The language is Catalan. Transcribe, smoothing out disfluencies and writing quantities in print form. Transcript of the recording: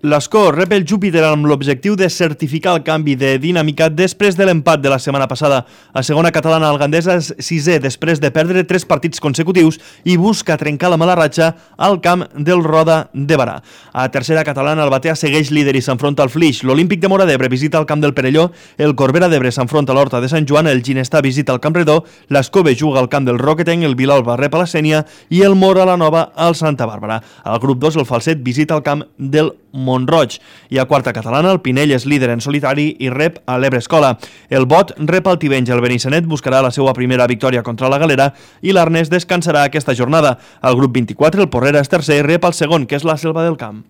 L'Escó rep el Júpiter amb l'objectiu de certificar el canvi de dinàmica després de l'empat de la setmana passada. A segona catalana, el Gandesa és sisè després de perdre 3 partits consecutius i busca trencar la mala ratxa al camp del Roda de Barà. A tercera catalana, el Batea segueix líder i s'enfronta al Flix. L'Olímpic de Móra d'Ebre visita el camp del Perelló, el Corbera d'Ebre s'enfronta a l'Horta de Sant Joan, el Ginestà visita el Camp Redó, l'Escove juga al camp del Roquetenc, el Vilalba rep a la Sénia i el Mora la Nova al Santa Bàrbara. Al grup 2, el Falset visita el camp del Montroig. I a quarta catalana, el Pinell és líder en solitari i rep a l'Ebre Escola. El Bot rep al Tivenys, el Benissanet buscarà la seva primera victòria contra la Galera i l'Arnès descansarà aquesta jornada. Al grup 24, el Porrera és tercer i rep al segon, que és la Selva del Camp.